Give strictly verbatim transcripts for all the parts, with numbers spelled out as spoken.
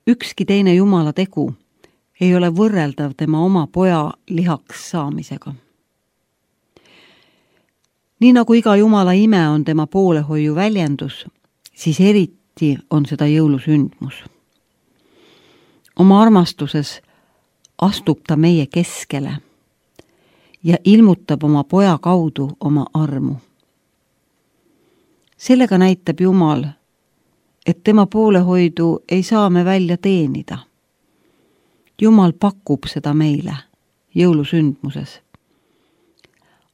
ükski teine Jumala tegu ei ole võrreldav tema oma poja lihaks saamisega. Nii nagu iga Jumala ime on tema poolehoiu väljendus, siis eriti on seda jõulusündmus. Oma armastuses astub ta meie keskele ja ilmutab oma poja kaudu oma armu. Sellega näitab Jumal, et tema poolehoidu ei saa me välja teenida. Jumal pakub seda meile jõulusündmuses.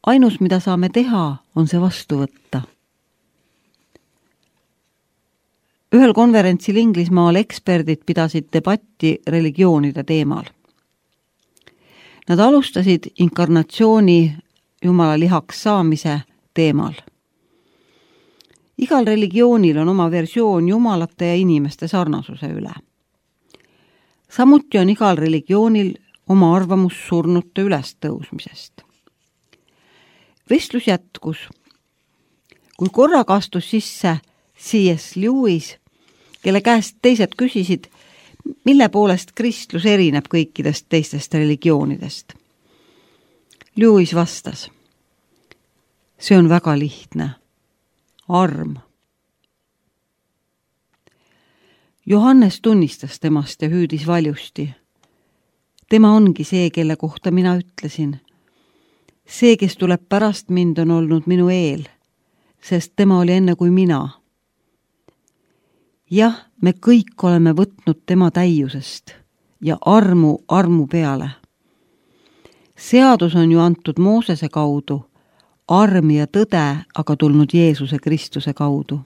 Ainus, mida saame teha, on see vastu võtta. Ühel konverentsil Inglismaal eksperdid pidasid debatti religioonide teemal. Nad alustasid inkarnatsiooni Jumala lihaks saamise teemal. Igal religioonil on oma versioon jumalate ja inimeste sarnasuse üle. Samuti on igal religioonil oma arvamus surnute ülestõusmisest. Vestlus jätkus. Kui korraga astus sisse C S Lewis, kelle käest teised küsisid, mille poolest kristlus erineb kõikidest teistest religioonidest. Lewis vastas, see on väga lihtne. Arm. Johannes tunnistas temast ja hüüdis valjusti. Tema ongi see, kelle kohta mina ütlesin. See, kes tuleb pärast mind, on olnud minu eel, sest tema oli enne kui mina. Jah, me kõik oleme võtnud tema täiusest ja armu armu peale. Seadus on ju antud Moosese kaudu, arm ja tõde aga tulnud Jeesuse Kristuse kaudu.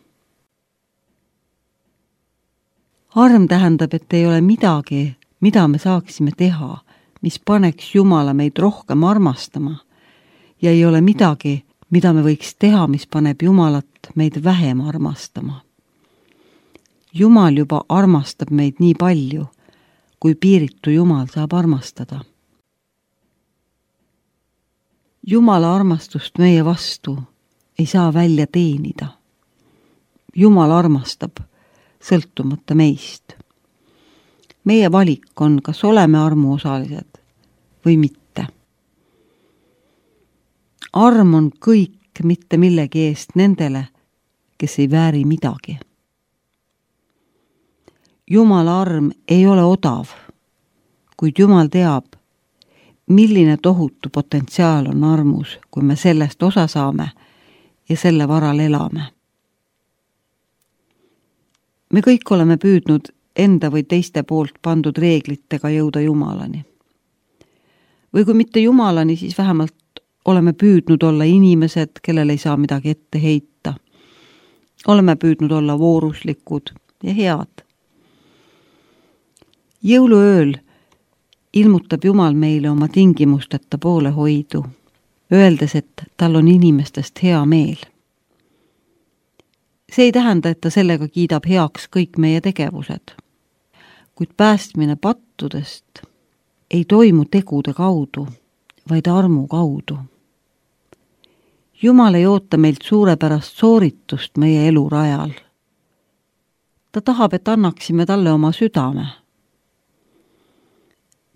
Arm tähendab, et ei ole midagi, mida me saaksime teha, mis paneks Jumala meid rohkem armastama, ja ei ole midagi, mida me võiks teha, mis paneb Jumalat meid vähem armastama. Jumal juba armastab meid nii palju, kui piiritu Jumal saab armastada. Jumala armastust meie vastu ei saa välja teenida. Jumal armastab, sõltumata meist. Meie valik on, kas oleme armuosalised või mitte. Arm on kõik mitte millegi eest nendele, kes ei vääri midagi. Jumala arm ei ole odav, kuid Jumal teab, milline tohutu potentsiaal on armus, kui me sellest osa saame ja selle varal elame. Me kõik oleme püüdnud enda või teiste poolt pandud reeglitega jõuda Jumalani. Või kui mitte Jumalani, siis vähemalt oleme püüdnud olla inimesed, kellel ei saa midagi ette heita. Oleme püüdnud olla vooruslikud ja head. Jõuluööl ilmutab Jumal meile oma tingimusteta poolehoidu, öeldes, et tal on inimestest hea meel. See ei tähenda, et ta sellega kiidab heaks kõik meie tegevused, kuid päästmine pattudest ei toimu tegude kaudu, vaid armu kaudu. Jumal ei oota meilt suurepärast sooritust meie elurajal. Ta tahab, et annaksime talle oma südame.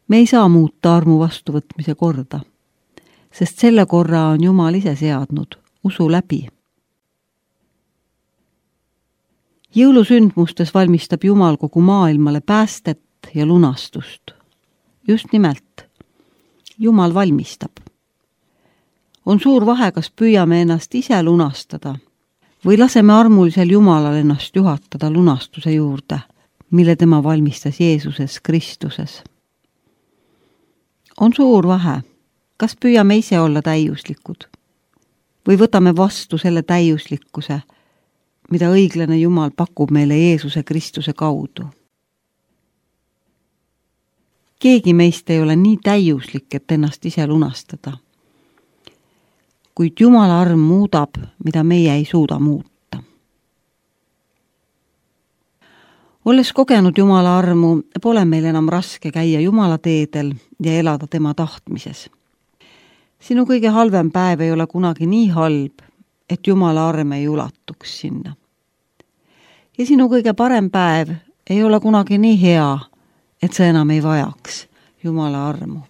Me ei saa muuta armu vastuvõtmise korda, sest selle korra on Jumal ise seadnud, usu läbi. Jõulusündmustes valmistab Jumal kogu maailmale päästet ja lunastust. Just nimelt, Jumal valmistab. On suur vahe, kas püüame ennast ise lunastada või laseme armulisel Jumalal ennast juhatada lunastuse juurde, mille tema valmistas Jeesuses Kristuses. On suur vahe, kas püüame ise olla täiuslikud või võtame vastu selle täiuslikkuse, mida õiglane Jumal pakub meile Jeesuse Kristuse kaudu. Keegi meist ei ole nii täiuslik, et ennast ise lunastada. Kuid Jumala arm muudab, mida meie ei suuda muuta. Olles kogenud Jumala armu, pole meil enam raske käia Jumala teedel ja elada tema tahtmises. Sinu kõige halvem päev ei ole kunagi nii halb, et Jumala arm ei ulatuks sinna. Ja sinu kõige parem päev ei ole kunagi nii hea, et sa enam ei vajaks Jumala armu.